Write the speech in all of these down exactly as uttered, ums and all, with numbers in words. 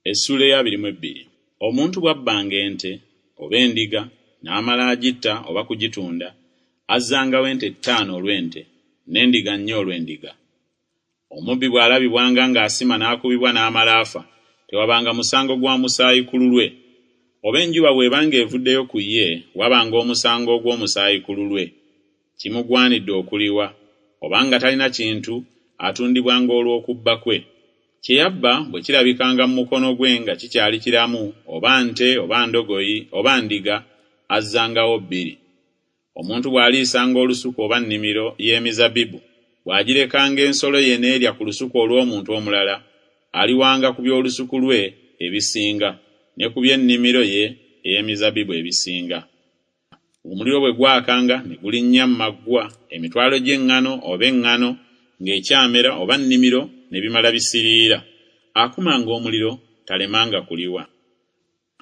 Essuula ey'abiri mu ebbiri. Omuntu bw'abbanga ente oba endiga n'amala agitta oba kugitunda, azzangawo ente ttaano olw'ente, n'endiga nnya olw'endiga. Omubbi bw'alabibwanga ng'asima n'akubibwa n'amala afa, tewabanga musango gwa musaayi ku lulwe. Oba enjuba bw'ebanga evuddeyo ku ye, wabanga omusango ogw'omusaayi ku lulwe. Kimugwanidde okuliwa, obanga talina kintu, atundibwanga olw'okubba kwe. Kye yabba bwe kirabikanga mu mukono gwe nga kikyali kiramu, oba nte oba ndogoyi oba ndiga, azzangawo bbiri. Omuntu bw'aliisanga olusuku oba nnimiro y'emizabbibu, bw'agirekanga ensolo ye n'erya ku lusuku olw'omuntu omulala, aliwanga ku by'olusuku lwe ebisinga, ne ku by'ennimiro ye ey'emizabbibu ebisinga. Omuliro bwe gwakanga ne gulinnya mu maggwa, emitwalo gy'eŋŋano oba eŋŋano ng'ekyamera oba nnimiro ne bimala bisiriira, akumanga omuliro talemanga kuliwa.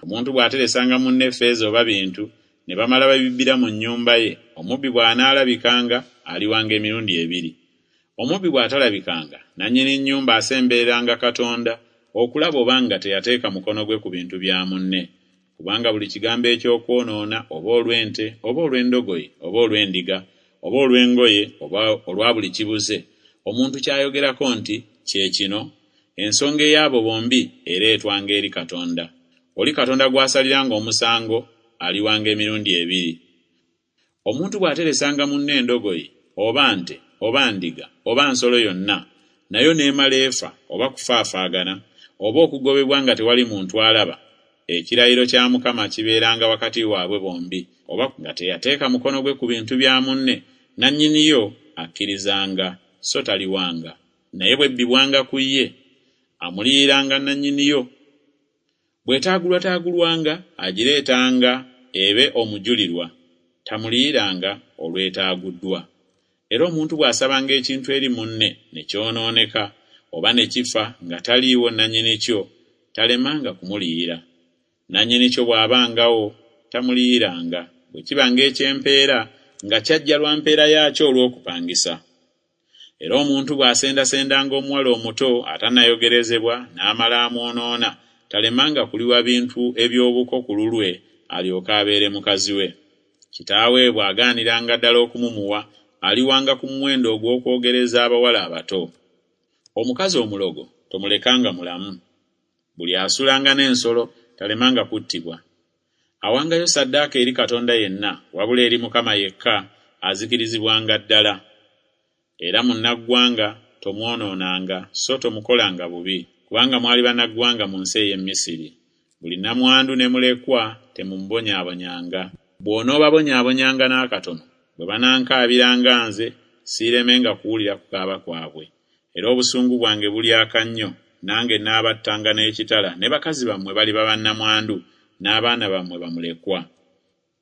Omuntu bw'ateresanga munne ffeeza oba bintu, ne bamala babibbira mu nnyumba ye, omubbi bw'anaalabikanga aliwanga emirundi ebiri. Omubbi bw'atalabikanga, nannyini nnyumba asembereranga Katonda okulaba obanga teyateeka mukono gwe ku bintu bya munne. Kubanga buli kigambo eky'okwonoona oba olw'ente oba olw'endogoyi oba olw'endiga oba olw'engoye oba olwa buli kibuze, omuntu ky'ayogerako nti kye kino, ensonga ey'abo bombi ereetwanga eri Katonda. Oli Katonda gw'asaliranga omusango aliwanga emirundi ebiri. Omuntu bw'ateresanga munne endogoyi oba nte oba ndiga oba nsolo yonna, nayo n'emala efa oba kufaafaagana oba okugobebwa nga tewali muntu alaba, ekirayiro kya Mukama kibeeranga wakati waabwe bombi, oba nga teyateeka mukono gwe ku bintu bya munne, nannyiniyo akkirizanga, so taliwanga. Naye bw'ebbibwanga ku ye, amuliyiranga nannyiniyo. Bw'etaagulwataagulwanga, agireetanga ebe omujulirwa, tamuliyiranga olw'etaaguddwa. Era omuntu bw'asabanga ekintu eri munne ne kyonooneka oba ne kifa nga taliiwo nannyini kyo, talemanga kumuliyira. Nannyini kyo bw'abangawo tamuliyiranga, bwe kibanga eky'empeera nga kyajja lwa mpeera yaakyo olw'okupangisa. Era omuntu bw'asendasendanga omuwala omuto atannayogerezebwa n'amala amwonoona, talemanga kuliwa bintu eby'obuko ku lulwe alyoke abeere mukazi we. Kitaawe bw'agaaniranga ddala okumumuwa, aliwanga ku muwendo ogw'okwogereza abawala abato. Omukazi omulogo tomulekanga mulamu. Buli asulanga n'ensolo talemanga kuttibwa. Awangayo ssaddaaka eri Katonda yenna, wabula eri Mukama yekka, azikirizibwanga ddala. Era munnaggwanga tomwonoonanga, so tomukolanga bubi, kubanga mwali bannaggwanga mu nsi ey'e Misiri. Buli nnamwandu ne mulekwa temumubonyaabonyanga. Bw'onoobabonyaabonyanga n'akatono, bwe banankaabiranga nze, siiremenga kuwulira kukaaba kwabwe. Era obusungu bwange bulyaka nnyo, nange naabattanga n'ekitala, ne bakazi bammwe baliba bannamwandu, n'abaana bammwe bamulekwa.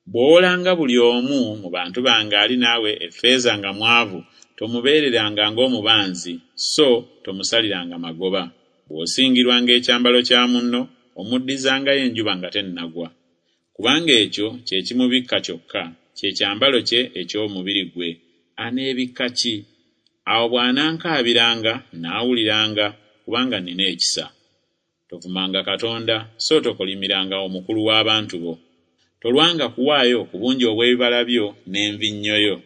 Bw'owolanga buli omu mu bantu bange ali naawe effeeza nga mwavu, tomubeereranga ng'omubanzi, so tomusaliranga magoba. Bw'osingirwanga ekyambalo kya munno, omuddizangayo enjuba nga tennagwa. Kubanga ekyo kye kimubikka kyokka, kye kyambalo kye eky'omubiri gwe, aneebikka ki? Awo bw'anankaabiranga, naawuliranga, kubanga nnina ekisa. Tovumanga Katonda, so tokolimiranga omukulu w'abantu bo. Tolwanga kuwaayo ku bungi obw'ebibala byo n'envinnyo yo.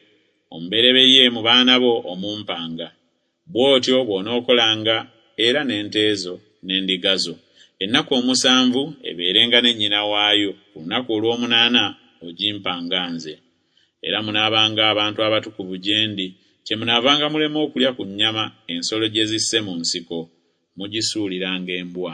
Omubereberye mu baana bo omumpanga. Bw'otyo bw'onookolanga era n'ente zo n'endiga zo. Ennaku omusanvu ebeerenga ne nnyina waayo, ku lunaku olw'omunaana ogimpanga nze. Era munaabanga abantu abatukuvu gye ndi, kyemunaavanga mulema okulya ku nnyama ensolo gye zisse mu nsiko, mugisuuliranga embwa.